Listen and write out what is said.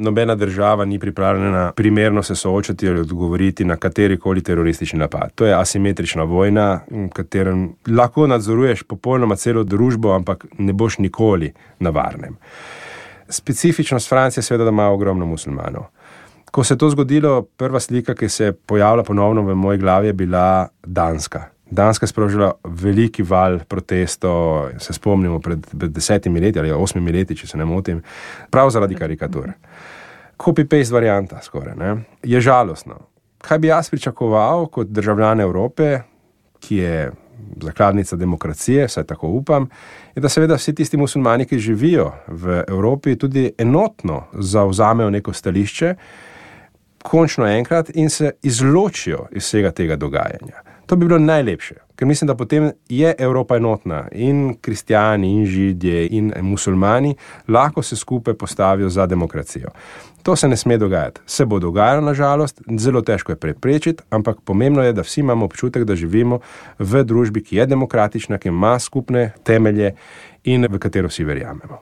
Nobena država ni pripravljena primerno se soočati ali odgovoriti na katerikoli teroristični napad. To je asimetrična vojna, v katerem lahko nadzoruješ popolnoma celo družbo, ampak ne boš nikoli na varnem. Specifičnost Francije je seveda, da ima ogromno muslimanov. Ko se je to zgodilo, prva slika, ki se je pojavila ponovno v moji glavi, je bila Danska. Danska je sprožila veliki val protestov, se spomnimo pred 10 leti ali 8 leti, če se ne motim, prav zaradi karikatur. Copy-paste varianta skoraj, ne? Je žalostno. Kaj bi jaz pričakoval kot državljan Evrope, ki je zakladnica demokracije, saj tako upam, je, da seveda vsi tisti muslimani, ki živijo v Evropi, tudi enotno zavzamejo neko stališče, končno enkrat, in se izločijo iz vsega tega dogajanja. To bi bilo najlepše, ker mislim, da potem je Evropa enotna in kristjani, in židje, in muslimani lahko se skupaj postavijo za demokracijo. To se ne sme dogajati. Se bo dogajalo, na žalost, zelo težko je preprečiti, ampak pomembno je, da vsi imamo občutek, da živimo v družbi, ki je demokratična, ki ima skupne temelje in v katero vsi verjamemo.